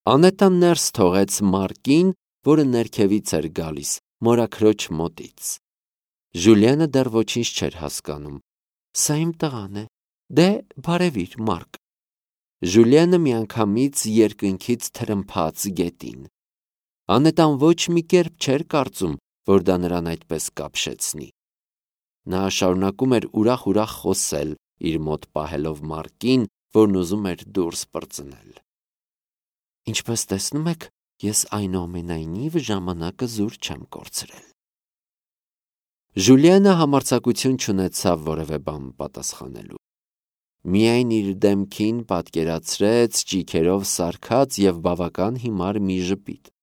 Անետան ներս թողեց Մարկին, որը ներքևից էր գալիս, մորաքրոջ մոտից։ Ժուլիանը դեռ ոչինչ չէր հասկանում։ Սա իմ տղան է։ Դե բարևիր, Մարկ։ Ժուլիանը միանգամից երկնքից թրմփաց գետին։ Անետան ոչ մի կերպ չէր կարծում, որ դա նրան այդպես կապշեցնի։ Նա շարունակում էր ուրախ խոսել, իր մոտ պահելով Մարկին, որն ուզում էր դուրս պրծնել։ Ինչպես տեսնում եք, ես այնուամենայնիվ ժամանակը զուր չեմ կորցրել։ Ժուլիանը համարձակություն չունեցավ որևէ բան պատասխանելու։ Միայն իր դեմքին պատկերացրեց ճիգերով սարքած եւ բավական հիմար մի ժպիտ։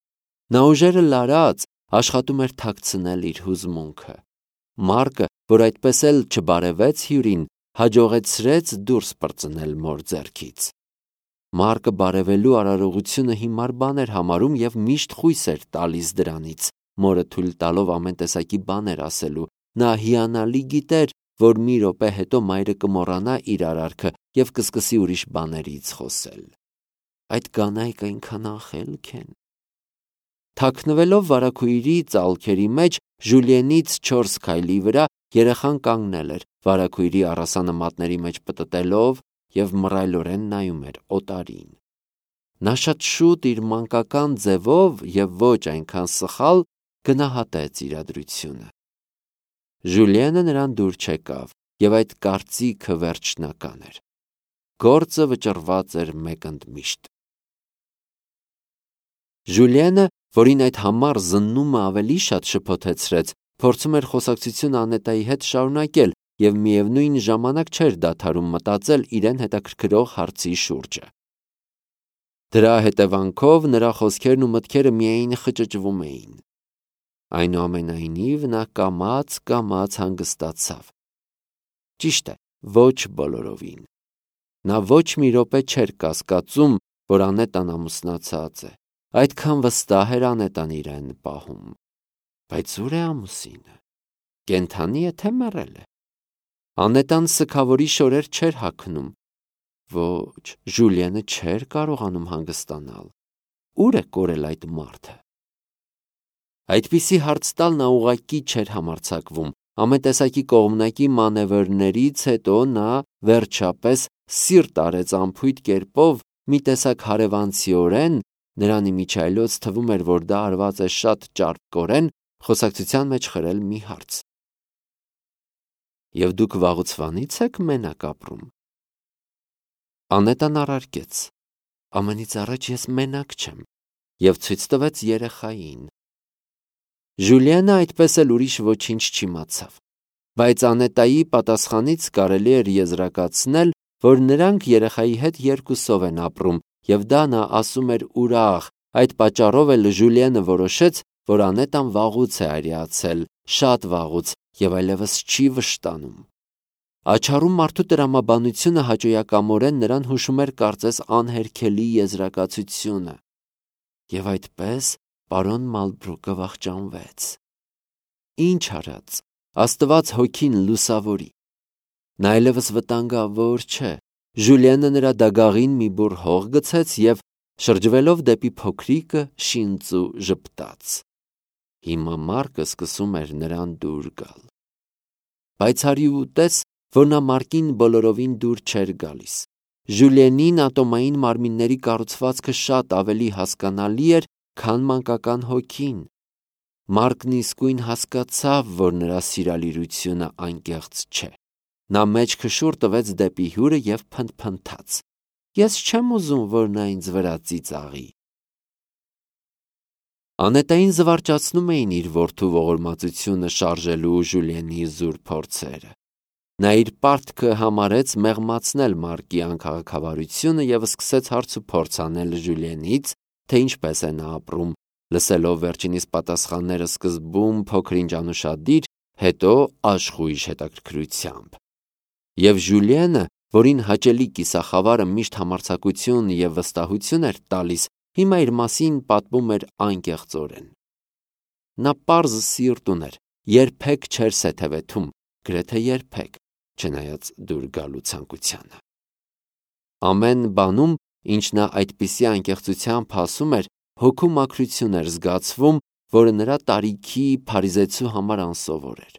Նա ուժերը լարած աշխատում էր թաքցնել իր հուզմունքը։ Մարկը, որ այդպես էլ չբարևեց հյուրին, հաջողեցրեց դուրս պրծնել մոր ձեռքից։ Մարկը բարևելու արարողությունը հիմար բան էր համարում եւ միշտ խույս էր տալիս դրանից, մորը թույլ տալով ամեն տեսակի բաներ ասելու։ Նա հիանալի գիտեր, որ մի րոպե հետո մայրը կմոռանա իր արարքը եւ կսկսի ուրիշ բաներից խոսել։ Այդ կանայք այնքան ախելք են։ Թաքնվելով վարագույրի ծալքերի մեջ, Ժուլիենից 4 քայլի վրա երեխան կանգնել էր, վարագույրի առասանը մատների մեջ պտտելով եւ մռայլորեն նայում էր օտարին։ Նա շատ շուտ իր մանկական ձևով եւ ոչ այնքան սխալ գնահատեց իրադրությունը։ Ժուլիենը նրան դուր չեկավ, եւ այդ կարծիքը վերջնական էր։ Գործը վճռված էր մեկ ընդմիշտ։ Ժուլիենը, որին այդ համառ զննումը ավելի շատ շփոթեցրեց, փորձում էր խոսակցությունը Անետայի հետ շարունակել եւ միևնույն ժամանակ չէր դադարում մտածել իրեն հետաքրքրող հարցի շուրջը։ Դրա հետևանքով նրա խոսքերն ու մտքերը միայն խճճվում էին։ Այնուամենայնիվ նա կամաց հանգստացավ։ Ճիշտ է, ոչ բոլորովին։ Նա ոչ մի րոպե չէր կասկածում, որ Անետան ամուսնացած է։ Այդքան վստահ էր Անետան իրեն պահում։ Բայց ուր է ամուսինը։ Կենդանի է թե մեռել է։ Անետան սգավորի շորեր չէր հագնում։ Ոչ, Ժուլիենը չէր կարողանում հանգստանալ։ Ուր է կորել այդ մարդը։ Այդպիսի հարց տալ նա ուղղակի չէր համարձակվում։ Ամեն տեսակի կողմնակի մանևրներից հետո նա վերջապես սիրտ արեց անփույթ կերպով մի տեսակ հարևանցիորեն, նրան իմիջիայլոց թվում էր, որ դա արված է շատ ճարպկորեն, խոսակցության մեջ խրել մի հարց։ Եվ դուք վաղուցվանից եք մենակ ապրում։ Անետան առարկեց. ամենից առաջ ես մենակ չեմ, եւ ցույց տվեց երեխային։ Ժուլիենը այդպես էլ ուրիշ ոչինչ չիմացավ, բայց Անետայի պատասխանից կարելի էր եզրակացնել, որ նրանք երեխայի հետ երկուսով են ապրում, եւ դա նա ասում էր ուրախ, այդ պատճառով էլ Ժուլիենը որոշեց, որ Անետան վաղուց է արիացել, շատ վաղուց, եւ այլևս չի վշտանում։ Աչառում մարդու տրամաբանությունը հաճոյակամորեն նրան հուշում էր կարծես անհերքելի եզրակացությունը։ Եվ այդպես պարոն Մալբրուկը վախճանվեց։ Ինչ արած, Աստված հոգին լուսավորի։ Նա այլևս վտանգավոր չէ։ Ժուլիենը նրա դագաղին մի բուռ հող գցեց եւ շրջվելով դեպի փոքրիկը շինծու ժպտաց։ Հիմա Մարկը սկսում էր նրան դուր գալ։ Բայց հարի ուտես, որ նա Մարկին բոլորովին դուր չէր գալիս։ Ժուլիենին ատոմային մարմինների կառուցվածքը շատ ավելի հասկանալի էր, քան մանկական հոգին։ Մարկն իսկույն հասկացավ, որ նրա սիրալիրությունը անկեղծ չէ։ Նա մեջքը շուռ տվեց դեպի հյուրը եւ փնթփնթաց. Ես չեմ ուզում, որ նա ինձ վրա ծիծաղի։ Անետային զվարճացնում էին իր որդու ողորմածությունը շարժելու Ժուլիենի զուր փորձերը։ Նա իր պարտքը համարեց մեղմացնել Մարկի անքաղաքավարությունը եւ սկսեց հարց ու փորձ անել Ժուլիենից, թե ինչպես է նա ապրում, լսելով վերջինիս պատասխանները սկզբում փոքր-ինչ անուշադիր, հետո աշխույժ հետաքրքրությամբ։ Եվ Ժուլիենը, որին հաճելի կիսախավարը միշտ համարձակություն եւ վստահություն էր տալիս, հիմա իր մասին պատմում էր անկեղծորեն։ Նա պարզ սիրտ ուներ, երբեք չէր սեթևեթում, գրեթե երբեք, չնայած դուր գալու ցանկությանը։ Ամեն բանում ինչ նա այդպիսի անկեղծությամբ ասում էր, հոգու մաքրություն էր զգացվում, որը նրա տարիքի փարիզեցու համար անսովոր էր։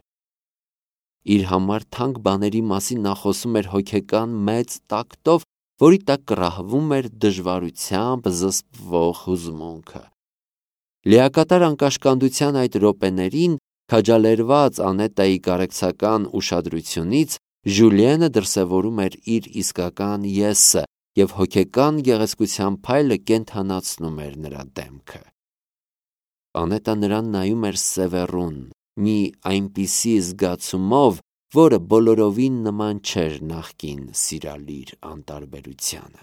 Իր համար թանկ բաների մասին նա խոսում էր հոգեկան մեծ տակտով, որի տակ կռահվում էր դժվարությամբ զսպվող հուզմունքը։ Լիակատար անկաշկանդության այդ րոպեներին, քաջալերված Անետայի կարեկցական ուշադրությունից, Ժուլիենը դրսևորում էր իր իսկական եսը և հոգեկան գեղեցկության փայլը կենդանացնում էր նրա դեմքը։ Անետը նրան նայում էր սևեռուն, մի այնպիսի զգացումով, որը բոլորովին նման չէր նախկին սիրալիր անտարբերությանը։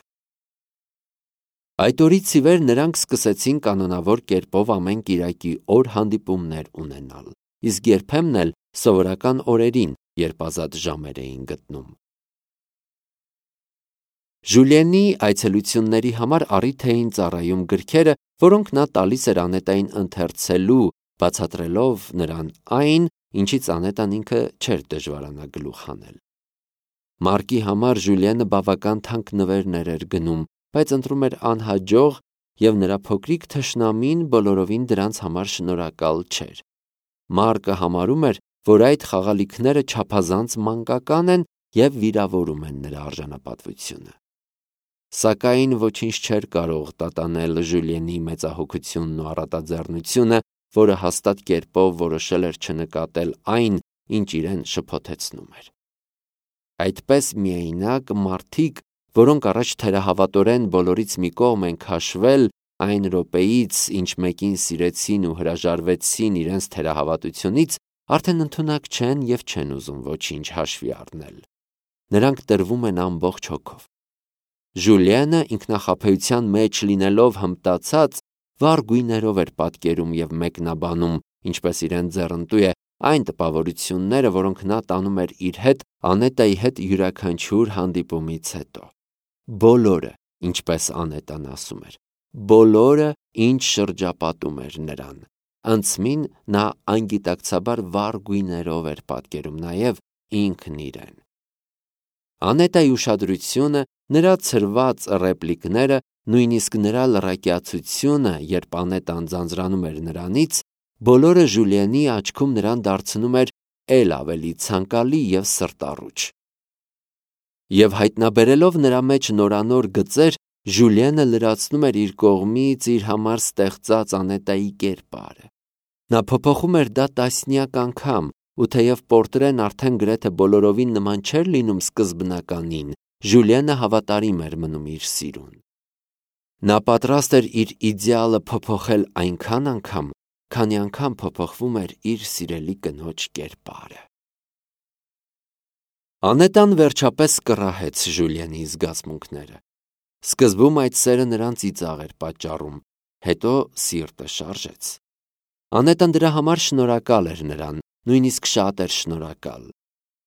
Այդ օրից ի վեր նրանք սկսեցին կանոնավոր կերպով ամեն կիրակի օր հանդիպումներ ունենալ, իսկ երբեմն էլ սովորական օրերին, երբ ազատ ժամեր էին գտնում։ Ժուլիենի այցելությունների համար առիթ էին ծառայում գրքերը, որոնք նա տալիս էր Անետային ընթերցելու, բացատրելով նրան այն, ինչից Անետան ինքը չէր դժվարանա գլուխ հանել։ Մարկի համար Ժուլիենը բավական թանկ նվերներ էր գնում, բայց ընտրում էր անհաջող, և նրա փոքրիկ թշնամին բոլորովին դրանց համար շնորհակալ չէր։ Մարկը համարում էր, որ այդ խաղալիքները չափազանց մանկական են և վիրավորում են նրա արժանապատվությունը։ Սակայն ոչինչ չէր կարող տատանել Ժուլիենի մեծահոգությունն ու առատաձեռնությունը, որը հաստատ կերպով որոշել էր չնկատել այն, ինչ իրեն շփոթեցնում էր։ Այդպես միայնակ մարդիկ, որոնք առաջ թերահավատորեն բոլորից մի կողմ են քաշվել, այն րոպեից, ինչ մեկին սիրեցին ու հրաժարվեցին իրենց թերահավատությունից, արդեն ընդունակ չեն և չեն ուզում ոչինչ հաշվի առնել։ Նրանք տրվում են ամբողջ հոգով։ Ժուլիենը ինքնախաբեության մեջ լինելով հմտացած, վառ գույներով էր պատկերում և մեկնաբանում, ինչպես իրեն ձեռնտու է, այն տպավորությունները, որոնք նա տանում էր իր հետ Անետայի հետ յուրաքանչյուր հանդիպումից հետո։ Բոլորը, ինչպես Անետան ասում էր, բոլորը, ինչ շրջապատում էր նրան։ Անցմին նա անգիտակցաբար վառ գույներով էր պատկերում նաև ինքն իրեն։ Անետայի ուշադրությունը, նրա ցրված ռեպլիկները, նույնիսկ նրա լռակյացությունը, երբ Անետան ձանձրանում էր նրանից, բոլորը Ժուլիենի աչքում նրան դարձնում էր էլ ավելի ցանկալի և սրտառուչ։ Եվ հայտնաբերելով նրա մեջ նորանոր գծեր, Ժուլիենը լրացնում էր իր կողմից իր համար ստեղծած Անետայի կերպարը։ Նա փոփոխում էր դա տասնյակ անգամ, ու թեև պորտրեն արդեն գրեթե բոլորովին նման չէր լինում սկզբնականին, Ժուլիենը հավատարիմ էր մնում իր սիրուն։ Նա պատրաստ էր իր իդեալը փոփոխել այնքան անգամ, քանի անգամ փոփոխվում էր իր սիրելի կնոջ կերպարը։ Անետան վերջապես կռահեց Ժուլիենի զգացմունքները։ Սկզբում այդ սերը նրան ծիծաղ էր պատճառում, հետո սիրտը շարժեց։ Անետան դրա համար շնորհակալ էր նրան, նույնիսկ շատ էր շնորհակալ։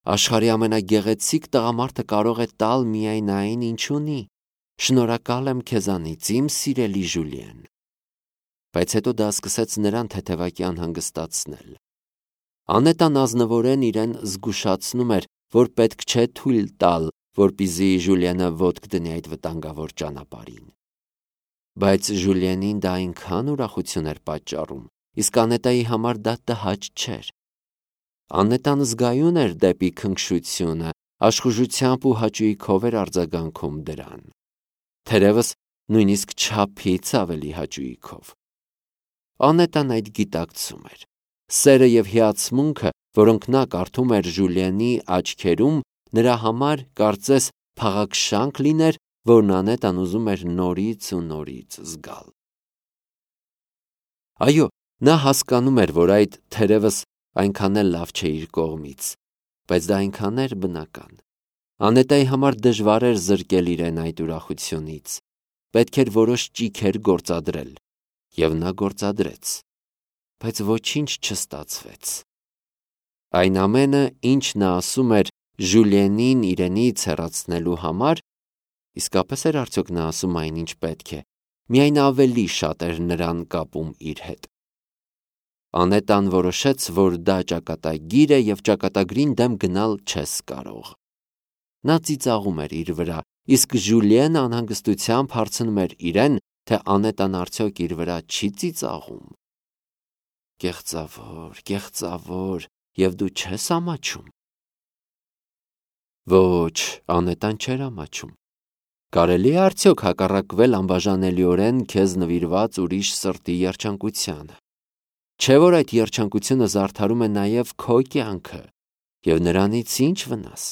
Աշխարհի ամենագեղեցիկ տղամարդը կարող է տալ միայն այն, ինչ ունի։ Շնորհակալ եմ քեզանից, իմ սիրելի Ժուլիեն։ Բայց հետո դա սկսեց նրան թեթևակի անհանգստացնել։ Անետան ազնվորեն իրեն զգուշացնում էր, որ պետք չէ թույլ տալ, որպեսզի Ժուլիենը ոտք դնի այդ վտանգավոր ճանապարհին։ Բայց Ժուլիենին դա այնքան ուրախություն էր պատճառում, իսկ Անետայի համար դա տհաճ չէր։ Անետան զգայուն էր դեպի քնքշությունը, աշխուժությամբ ու հաճույքով էր արձագանքում դրան։ Թերևս նույնիսկ չափից ավելի հաճույքով։ Անետան այդ գիտակցում էր։ Սերը և հիացմունքը, որոնք նա կարդում էր Ժուլիենի աչքերում, նրա համար կարծես փաղաքշանք լիներ, որն Անետան ուզում էր նորից ու նորից զգալ։ Այո, նա հասկանում էր, որ այդ թերևս այնքան էլ լավ չէ իր կողմից, բայց դա այնքան էր բնական։ Անետայի համար դժվար էր զրկել իրեն այդ ուրախությունից։ Պետք էր որոշ ճիգեր գործադրել, և նա գործադրեց, բայց ոչինչ չստացվեց։ Այն ամենը, ինչ նա ասում էր Ժուլիենին իրենից հեռացնելու համար, իսկապես էր արդյոք նա ասում այն, ինչ պետք է, միայն ավելի շատ էր նրան կապում իր հետ։ Անետան որոշեց, որ դա ճակատագիր է և ճակատագրին դեմ գնալ չես կարող։ Նա ծիծաղում էր իր վրա իսկ Ժուլիենը անհանգստությամբ հարցնում էր իրեն, թե Անետան արդյոք իր վրա չի ծիծաղում։ Կեղծավոր, եւ դու չես ամաչում։ Ոչ, Անետան չէր ամաչում։ Կարելի է արդյոք հակառակվել անբաժանելիորեն քեզ նվիրված ուրիշ սրտի երջանկությանը։ Չէ՞ որ այդ երջանկությունը զարդարում է նաև քո կյանքը, եւ նրանից ինչ վնաս։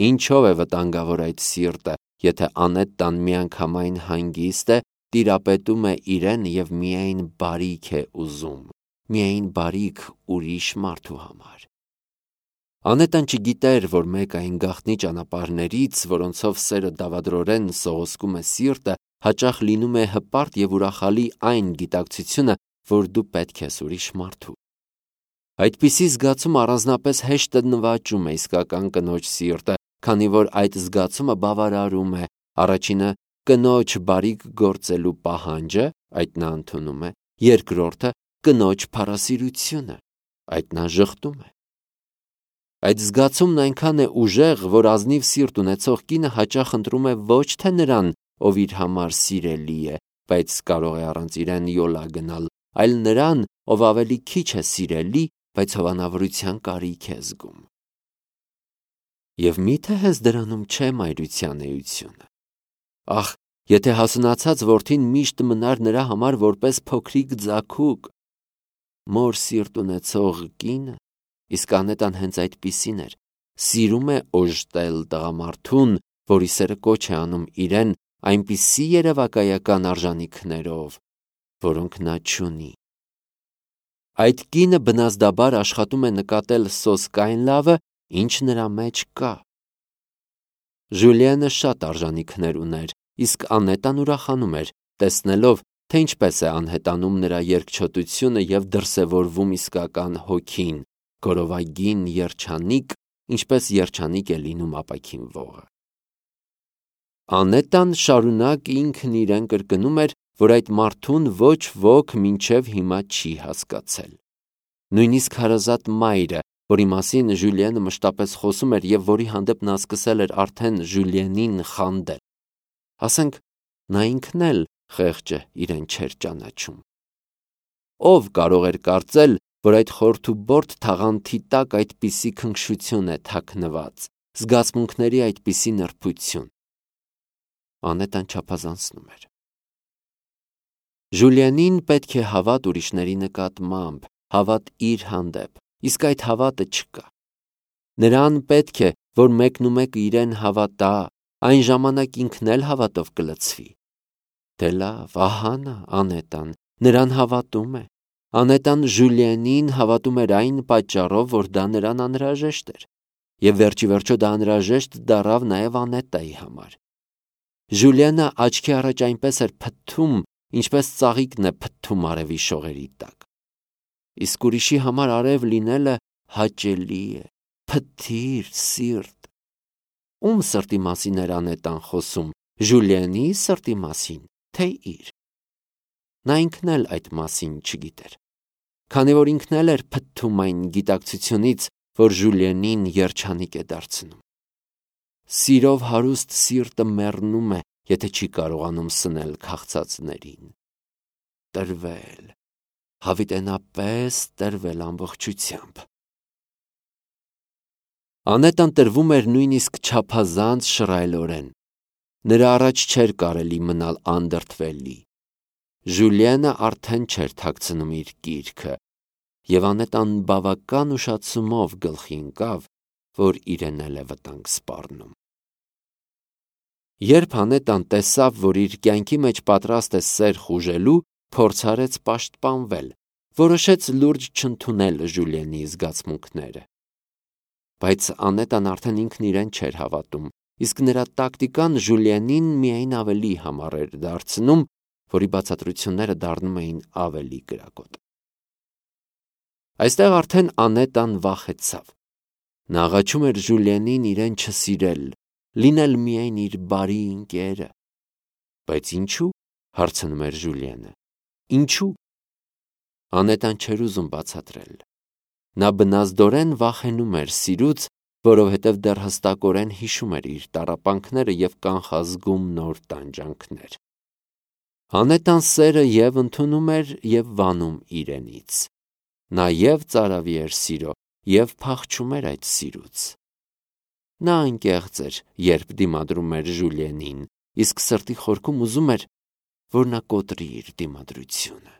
Ինչով է վտանգավոր այդ սիրտը, եթե Անետան միանգամայն հանգիստ է, տիրապետում է իրեն եւ միայն բարիք է ուզում, միայն բարիք ուրիշ մարդու համար։ Անետան չգիտեր, որ մեկ այն գաղտնի ճանապարհներից, որոնցով սերը դավադրորեն սողոսկում է սիրտը, հաճախ լինում է հպարտ եւ ուրախալի այն գիտակցությունը, որ դու պետք ես ուրիշ մարդու։ Այդպիսի զգացում առանձնապես հեշտ նվաճում է իսկական կնոջ սիրտը, քանի որ այդ զգացումը բավարարում է առաջինը կնոջ բարիք գործելու պահանջը, այդ նա ընդունում է, երկրորդը կնոջ փառասիրությունը, այդ նա ժխտում է։ Այդ զգացումն այնքան է ուժեղ, որ ազնիվ սիրտ ունեցող կինը հաճախ ընտրում է ոչ թե նրան, ով իր համար սիրելի է, բայց կարող է առանց իրեն յոլա գնալ, այլ նրան, ով ավելի քիչ է սիրելի, բայց հովանավորության կարիք է զգում։ Եվ միթե հենց դրանում չէ մայրության էությունը։ Ախ, եթե հասունացած որդին միշտ մնար նրա համար որպես փոքրիկ ձագուկ։ Մոր սիրտ ունեցող կինը, իսկ Անետան հենց այդպիսին էր, սիրում է օժտել տղամարդուն, որի սերը կոչ է անում իրեն այնպիսի երևակայական արժանիքներով, որոնք նա չունի։ Այդ կինը բնազդաբար աշխատում է նկատել սոսկայն լավը, ինչ նրա մեջ կա։ Ժուլիենը շատ արժանիքներ ուներ, իսկ Անետան ուրախանում էր, տեսնելով, թե ինչպես է անհետանում նրա երկչոտությունը եւ դրսևորվում իսկական հոգին, գորովագին երջանիկ, ինչպես երջանիկ է լինում ապակին ողը։ Անետան շարունակ ինքն իրեն կրկնում էր, որ այդ մարդուն ոչ ոք մինչև հիմա չի հասկացել։ Նույնիսկ հարազատ մայրը, որի մասին Ժուլիենը մշտապես խոսում էր եւ որի հանդեպ նա սկսել էր արդեն Ժուլիենին խանդել։ Ասենք, նա ինքն էլ խեղճը իրեն չէր ճանաչում։ Ով կարող էր կարծել, որ այդ խորթուբորդ թաղանթի տակ այդպիսի քնքշություն է թաքնված, զգացմունքների այդպիսի նրբություն։ Անետան չափազանցնում էր։ Ժուլիենին պետք է հավատ ուրիշների նկատմամբ, հավատ իր հանդեպ, իսկ այդ հավատը չկա։ Նրան պետք է, որ մեկնումեկը իրեն հավատա, այն ժամանակ ինքն էլ հավատով կլցվի։ Դե լավ, ահա նա, Անետան, նրան հավատում է։ Անետան Ժուլիենին հավատում էր այն պատճառով, որ դա նրան անհրաժեշտ էր, եւ վերջի վերջո դա անհրաժեշտ դառավ նաեւ Անետայի համար։ Ժուլիենը աչքի առաջ այնպես էր փթթում, ինչպես ծաղիկն է փթթում արևի շողերի տակ։ Իսկ ուրիշի համար արև լինելը հաճելի է, փթթիր սիրտ։ Ում սրտի մասին էր Անետան խոսում, Ժուլիենի սրտի մասին, թե իր։ Նա ինքն էլ այդ մասին չգիտեր, քանի որ ինքն էլ էր փթթում այն գիտակցությունից, որ Ժուլիենին երջանիկ է դարձնում։ Սիրով հարուստ սիրտը մեռնում է, եթե չի կարողանում սնել քաղցածներին։ Տրվել, հավիտենապես տրվել ամբողջությամբ։ Անետան տրվում էր նույնիսկ չափազանց շռայլորեն։ Նրա առաջ չէր կարելի մնալ անդրդվելի։ Ժուլիենը արդեն չէր թաքցնում իր գիրքը, եւ Անետան բավական ուշացումով գլխի ընկավ, որ իրեն էլ է վտանգ սպառնում։ Երբ Անետան տեսավ, որ իր կյանքի մեջ պատրաստ է սեր խուժելու, փորձարեց պաշտպանվել, որոշեց լուրջ չընդունել Ժուլիենի զգացմունքները։ Բայց Անետան արդեն ինքն իրեն չէր հավատում, իսկ նրա տակտիկան Ժուլիենին միայն ավելի համառ էր դարձնում, որի բացատրությունները դառնում էին ավելի կրակոտ։ Այստեղ արդեն Անետան վախեցավ։ Նա աղաչում էր Ժուլիենին իրեն չսիրել, լինել միայն իր բարի ընկերը։ Բայց ինչու՞, հարցնում էր Ժուլիենը։ Ինչու՞։ Անետան չէր ուզում բացատրել։ Նա բնազդորեն վախենում էր սիրուց, որովհետև դեռ հստակորեն հիշում էր իր տառապանքները և կանխազգում նոր տանջանքներ։ Անետան սերը և ընդունում էր և վանում իրենից։ Նա և ծարավի էր սիրո, և փախչում էր այդ սիրուց։ Նա անկեղծ էր, երբ դիմադրում էր Ժուլիենին, իսկ սրտի խորքում ուզում էր, որ նա կոտրի իր դիմադրությունը։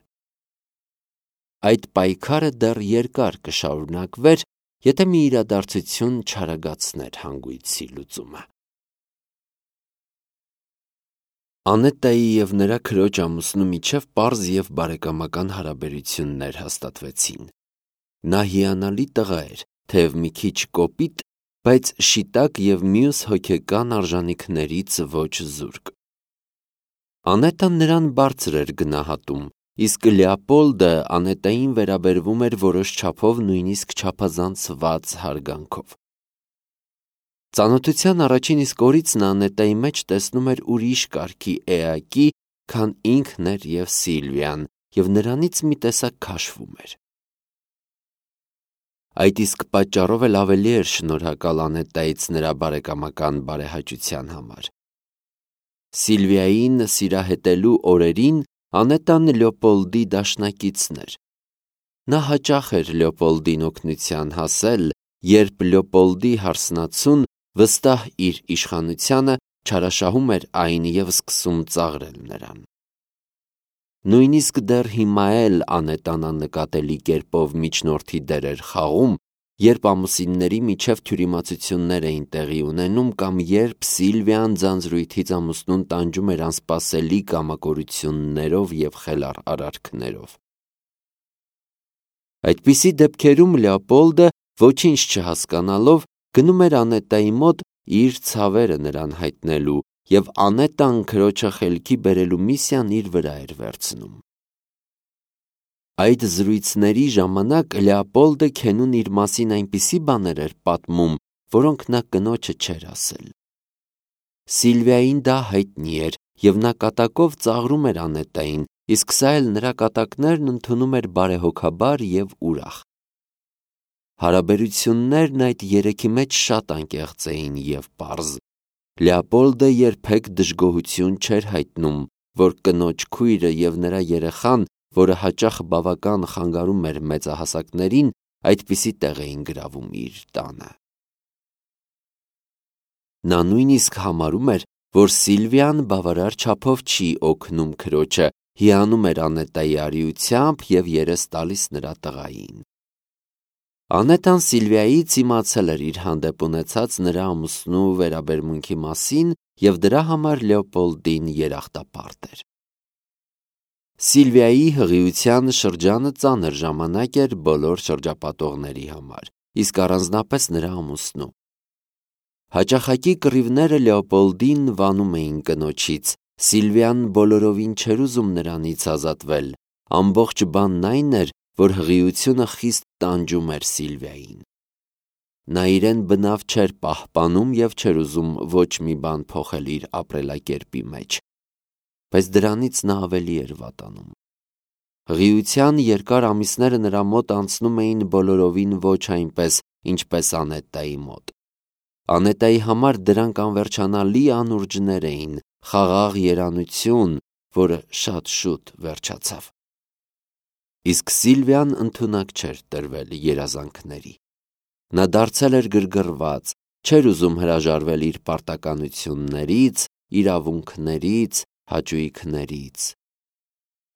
Այդ պայքարը դեռ երկար կշարունակվեր, եթե մի իրադարձություն չարագացներ հանգույցի լուծումը։ Անետայի և նրա քրոջ ամուսնու միջև պարզ և բարեկամական հարաբերություններ հաստատվեցին։ Նա հիանալի տղա էր, թեև մի քիչ կոպիտ, բայց շիտակ և մյուս հոգեկան արժանիքներից ոչ զուրկ։ Անետան նրան բարձր էր գնահատում, իսկ Լեոպոլդը Անետային վերաբերվում էր որոշ չափով նույնիսկ չափազանցված հարգանքով։ Ծանոթության առաջին իսկ օրից նա Անետայի մեջ տեսնում էր ուրիշ կարգի էակի, քան ինքն էր և Սիլվիան, և նրանից մի տեսակ քաշվում էր։ Այդ իսկ պատճառով էլ ավելի էր շնորհակալ Անետայից նրա բարեկամական բարեհաճության համար։ Սիլվիային սիրահետելու օրերին Անետան Լեոպոլդի դաշնակիցն էր։ Նա հաճախ էր Լեոպոլդին օգնության հասել, երբ Լեոպոլդի հարսնացուն, վստահ իր իշխանությանը, չարաշահում էր այն և սկսում ծաղրել նրան։ Նույնիսկ դեռ հիմա էլ Անետան աննկատելի կերպով միջնորդի դեր էր խաղում, երբ ամուսինների միջև թյուրիմացություններ էին տեղի ունենում կամ երբ Սիլվիան ձանձրույթից ամուսնուն տանջում էր անսպասելի կամակորություններով և խելառ արարքներով։ Այդպիսի դեպքերում Լեոպոլդը, ոչինչ չհասկանալով, գնում էր Անետայի մոտ իր ցավերը նրան հայտնելու, և Անետան քրոջը խելքի բերելու միսիան իր վրա էր վերցնում։ Այդ զրույցների ժամանակ Լեոպոլդը քենուն իր մասին այնպիսի բաներ էր պատմում, որոնք նա կնոջը չէր ասել։ Սիլվիային դա հայտնի էր, և նա կատակով ծաղրում էր Անետային, իսկ սա էլ նրա կատակներն ընդունում էր բարեհոգաբար և ուրախ։ Հարաբերություններն այդ երեքի մեջ շատ անկեղծ էին և պարզ։ Լեոպոլդը երբեք դժգոհություն չէր հայտնում, որ կնոջ քույրը և նրա երեխան, որը հաճախ բավական խանգարում էր մեծահասակներին, այդպիսի տեղ էին գրավում իր տանը։ Նա նույնիսկ համարում էր, որ Սիլվիան բավարար չափով չի օգնում քրոջը, հիանում էր Անետայի արիությամբ և երես տալիս նրա տղային։ Անետան Սիլվիայից իմացել էր իր հանդեպ ունեցած նրա ամուսնու վերաբերմունքի մասին և դրա համար Լեոպոլդին երախտապարտ էր։ Սիլվիայի հղիության շրջանը ծանր ժամանակ էր բոլոր շրջապատողների համար, իսկ առանձնապես նրա ամուսնու։ Հաճախակի կռիվները Լեոպոլդին վանում էին կնոջից, Սիլվիան բոլորովին չէր ուզում նրանից ազատվել, ամբողջ բանն այն էր, որ հղիությունը խիստ տանջում էր Սիլվիային։ Նա իրեն բնավ չէր պահպանում և չէր ուզում ոչ մի բան փոխել իր ապրելակերպի մեջ, բայց դրանից նա ավելի էր վատանում։ Հղիության երկար ամիսները նրա մոտ անցնում էին բոլորովին ոչ այնպես, ինչպես Անետայի մոտ։ Անետայի համար դրանք անվերջանալի անուրջներ էին, խաղաղ երանություն, որը շատ շուտ վերջացավ։ Իսկ Սիլվիան ընդունակ չէր տրվել երազանքների։ Նա դարձել էր գրգռված, չէր ուզում հրաժարվել իր պարտականություններից, իրավունքներից, հաճույքներից։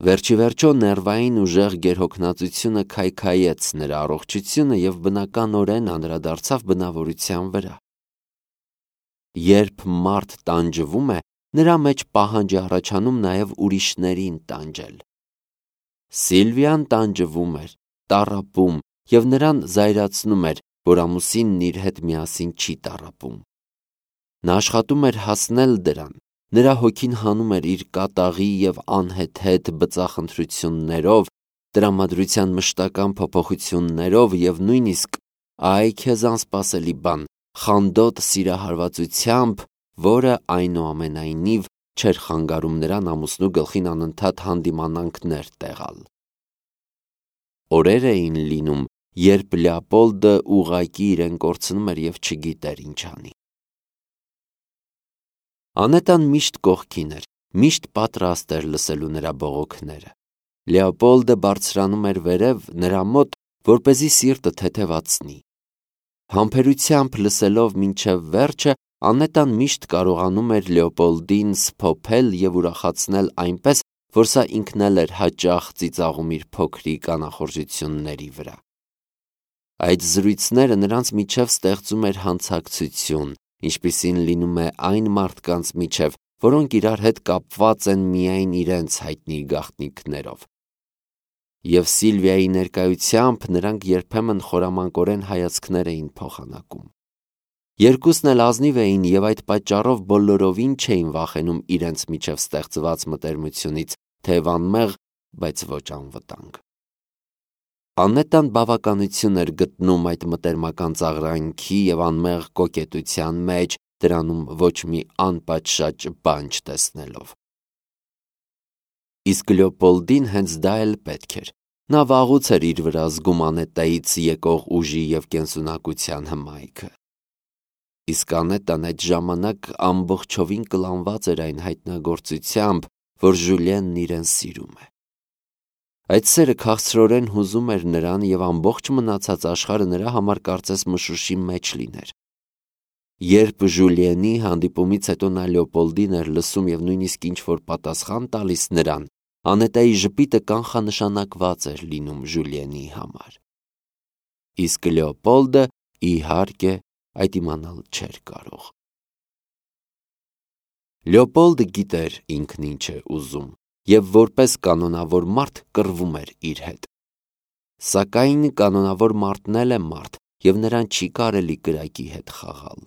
Վերջիվերջո ներվային ուժեղ գերհոգնածությունը քայքայեց նրա առողջությունը և բնականորեն անդրադարձավ բնավորության վրա։ Երբ մարդ տանջվում է, նրա մեջ պահանջ է առաջանում նաև ուրիշներին տանջել։ Սիլվիան տանջվում էր, տառապում և նրան զայրացնում էր, որ ամուսինն իր հետ միասին չի տառապում։ Նա աշխատում էր հասնել դրան, նրա հոգին հանում էր իր կատաղի և անհեթեթ բծախնդրություններով, տրամադրության մշտական փոփոխություններով և նույնիսկ, այ քեզ անսպասելի բան, խանդոտ սիրահարվածությամբ, որը այնուամենայնիվ չէր խանգարում նրան ամուսնու գլխին անընդհատ հանդիմանանքներ տեղալ։ Օրեր էին լինում, երբ Լեոպոլդը ուղղակի իրեն կորցնում էր և չգիտեր ինչ անի։ Անետան միշտ կողքին էր, միշտ պատրաստ էր լսելու նրա բողոքները։ Լեոպոլդը բարձրանում էր վերև նրա մոտ, որպեսզի սիրտը թեթևացնի։ Համբերությամբ լսելով մինչև վերջը, Անետան միշտ կարողանում էր Լեոպոլդին սփոփել և ուրախացնել այնպես, որ սա ինքն էլ էր հաճախ ծիծաղում իր փոքրիկ անախորժությունների վրա։ Այդ զրույցները նրանց միջև ստեղծում էր հանցակցություն, ինչպիսին լինում է այն մարդկանց միջև, որոնք իրար հետ կապված են միայն իրենց հայտնի գաղտնիքներով։ Եվ Սիլվիայի ներկայությամբ նրանք երբեմն խորամանկորեն հայացքներ էին փոխանակում։ Երկուսն էլ ազնիվ էին և այդ պատճառով բոլորովին չէին վախենում իրենց միջև ստեղծված մտերմությունից, թեև անմեղ, բայց ոչ անվտանգ։ Անետան բավականություն էր գտնում այդ մտերմական ծաղրանքի և անմեղ կոկետության մեջ, դրանում ոչ մի անպատշաճ բան չտեսնելով։ Իսկ Լեոպոլդին հենց դա էլ պետք էր։ Նա վաղուց էր իր վրա զգում Անետայից եկող ուժի և կենսունակության հմայքը։ Իսկ Անետան այդ ժամանակ ամբողջովին կլանված էր այն հայտնագործությամբ, որ Ժուլիենն իրեն սիրում է։ Այդ սերը քաղցրորեն հուզում էր նրան և ամբողջ մնացած աշխարհը նրա համար կարծես մշուշի մեջ լիներ։ Երբ Ժուլիենի հանդիպումից հետո նա Լեոպոլդին էր լսում և նույնիսկ ինչ-որ պատասխան տալիս նրան, Անետայի ժպիտը կանխանշանակված էր լինում Ժուլիենի համար։ Իսկ Լեոպոլդը, իհարկե, այդ իմանալ չէր կարող։ Լեոպոլդը գիտեր ինքն ինչ է ուզում և որպես կանոնավոր մարդ կռվում էր իր հետ։ Սակայն կանոնավոր մարդն էլ է մարդ և նրան չի կարելի կրակի հետ խաղալ։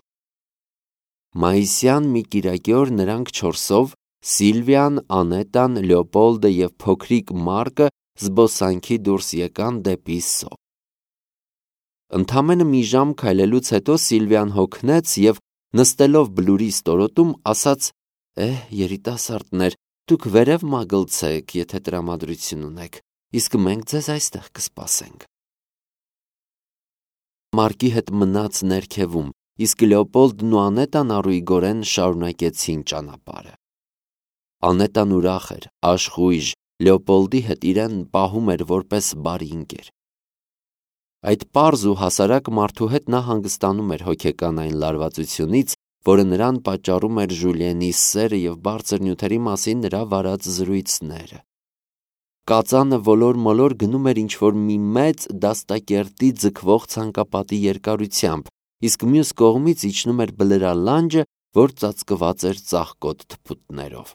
Մայիսյան մի կիրակի օր նրանք չորսով՝ Սիլվիան, Անետան, Լեոպոլդը և փոքրիկ Մարկը զբոսանքի դուրս եկան դեպի Սո։ Ընդամենը մի ժամ քայլելուց հետո Սիլվիան հոգնեց և, նստելով բլուրի ստորոտում, ասաց. երիտասարդներ, դուք վերև մագլցեք, եթե տրամադրություն ունեք, իսկ մենք ձեզ այստեղ կսպասենք։ Մարկի հետ մնաց ներքևում, իսկ Լեոպոլդն ու Անետան առույգորեն շարունակեցին ճանապարհը։ Անետան ուրախ էր, աշխույժ, Լեոպոլդի հետ իրեն պահում էր որպես բարի ընկեր։ Այդ պարզ ու հասարակ մարդու հետ նա հանգստանում էր հոգեկան այն լարվածությունից, որը նրան պատճառում էր Ժուլիենի սերը և բարձր նյութերի մասին նրա վարած զրույցները։ Կածանը ոլոր-մոլոր գնում էր ինչ-որ մի մեծ դաստակերտի ձգվող ցանկապատի երկարությամբ, իսկ մյուս կողմից իջնում էր բլրալանջը, որ ծածկված էր ծաղկոտ թփուտներով։